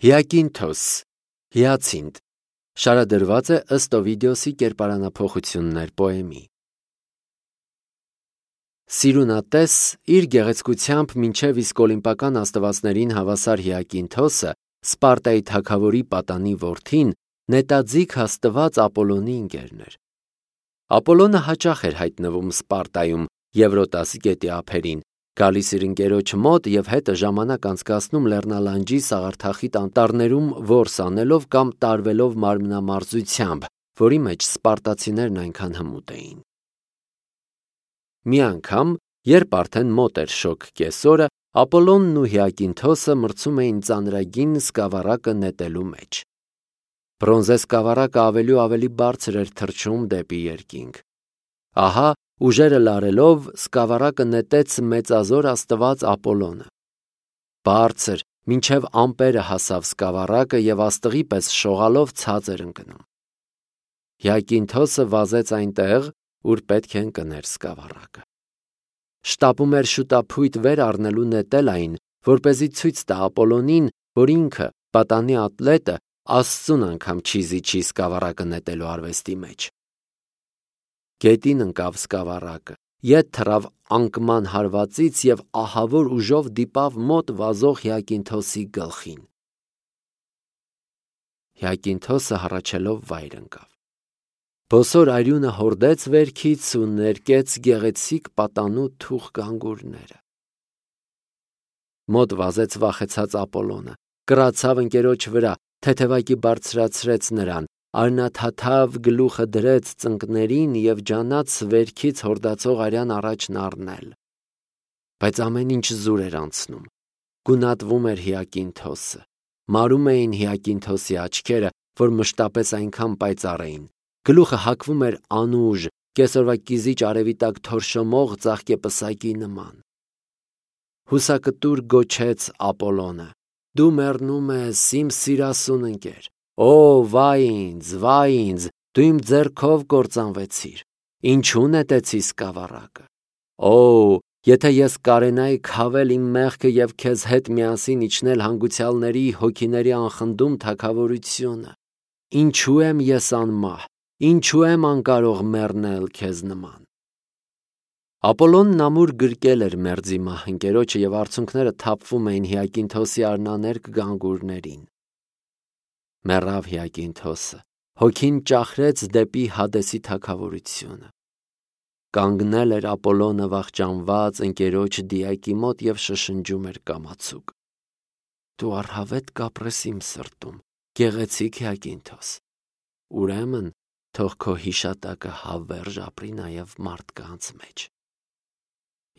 Հիակինթոս, հիացինդ, շարադրված է ըստ Օվիդիոսի կերպարանափոխություններ պոեմի։ Սիրունատես իր գեղեցկությամբ մինչև իսկ օլիմպական աստվածներին հավասար Հիակինթոսը, Սպարտայի թագավորի պատանի որդին, նետաձիգ աստված Ապոլոնի ընկերն էր։ Ապոլոնը հաճախ էր հայտնվում Սպարտայում Եվրոտաս գետի ափերին, գալիս իր ընկերոջ մոտ և հետը ժամանակ անցկացնում լեռնալանջի սաղարթախիտ անտառներում որս անելով կամ տարվելով մարմնամարզությամբ, որի մեջ սպարտացիներն այնքան հմուտ էին։ Մի անգամ, երբ արդեն մոտ էր շոգ կեսօրը, Ապոլոնն ու Հիակինթոսը մրցում էին ծանրագին սկավառակը նետելու մեջ։ Բրոնզե սկավառակը ավելի ու ավելի բարձր էր թռչում դեպի երկինք։ Ահա, ուժերը լարելով, սկավառակը նետեց մեծազոր աստված Ապոլոնը։ Բարձր, մինչև ամպերը հասավ սկավառակը և աստղի պես շողալով ցած էր ընկնում։ Հիակինթոսը վազեց այնտեղ, ուր պետք է ընկներ սկավառակը։ Շտապում էր շուտափույթ վեր առնելու նետել այն, որպեսզի ցույց տա Ապոլոնին, որ ինքը, պատանի ատլետը, Աստծուն անգամ չի զիջի սկավառակը նետելու արվեստի մեջ։ Գետին ընկավ սկավառակը, ետ թռավ անկման հարվածից և ահավոր ուժով դիպավ մոտ վազող Հիակինթոսի գլխին։ Հիակինթոսը հառաչելով վայր ընկավ։ Բոսոր արյունը հորդեց վերքից ու ներկեց գեղեցիկ պատանու թուխ գանգուրները։ Մոտ վազեց վախեցած Ապոլոնը, կռացավ ընկերոջ վրա, թեթևակի բարձրացրեց նրան, արնաթաթավ գլուխը դրեց ծնկներին և ջանաց վերքից հորդացող արյան առաջն առնել։ Բայց ամեն ինչ զուր էր անցնում։ Գունատվում էր Հիակինթոսը։ Մարում էին Հիակինթոսի աչքերը, որ մշտապես այնքան պայծառ էին։ Գլուխը հակվում էր անուժ, կեսօրվա կիզիչ արևի տակ թորշոմող ծաղկեպսակի նման։ Հուսակտուր գոչեց Ապոլոնը. «Դու մեռնում ես, իմ սիրասուն ընկեր։ Օ, վայ ինձ, դու իմ ձեռքով կործանվեցիր։ Ինչու նետեցի սկավառակը։ Օ, եթե ես կարենայի քավել իմ մեղքը և քեզ հետ միասին իջնել հանգուցյալների հոգիների անխնդում թագավորությունը։ Ինչու եմ ես անմահ, ինչու եմ անկարող մեռնել քեզ նման»։ Ապոլոնն ամուր գրկել էր մերձի մահ ընկերոջը և արցունքները թափվում էին Հիակինթոսի արնաներկ գանգուրներին։ Մեռավ Հիակինթոսը, հոգին ճախրեց դեպի Հադեսի թագավորությունը։ Կանգնել էր Ապոլոնը վախճանված ընկերոջ դիակի մոտ և շշնջում էր կամացուկ. «Դու առհավետ կապրես իմ սրտում, գեղեցիկ Հիակինթոս։ Ուրեմն թող քո հիշատակը հավերժ ապրի նաև մարդկանց մեջ»։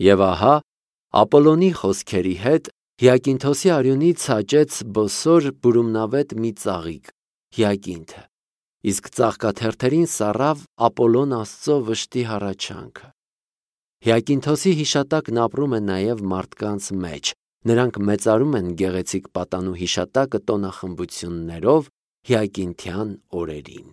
Եվ ահա, Ապոլոնի խոսքերի հետ Հիակինթոսի արյունից աճեց բոսոր բուրումնավետ մի ծաղիկ՝ Հիակինթը, իսկ ծաղկաթերթերին սառավ Ապոլոն Աստծո վշտի հառաչանքը։ Հիակինթոսի հիշատակն ապրում է նաև մարդկանց մեջ, նրանք մեծարում են գեղեցիկ պատանու հիշատակը տոնախմբություններով հիակինթյան օրերին։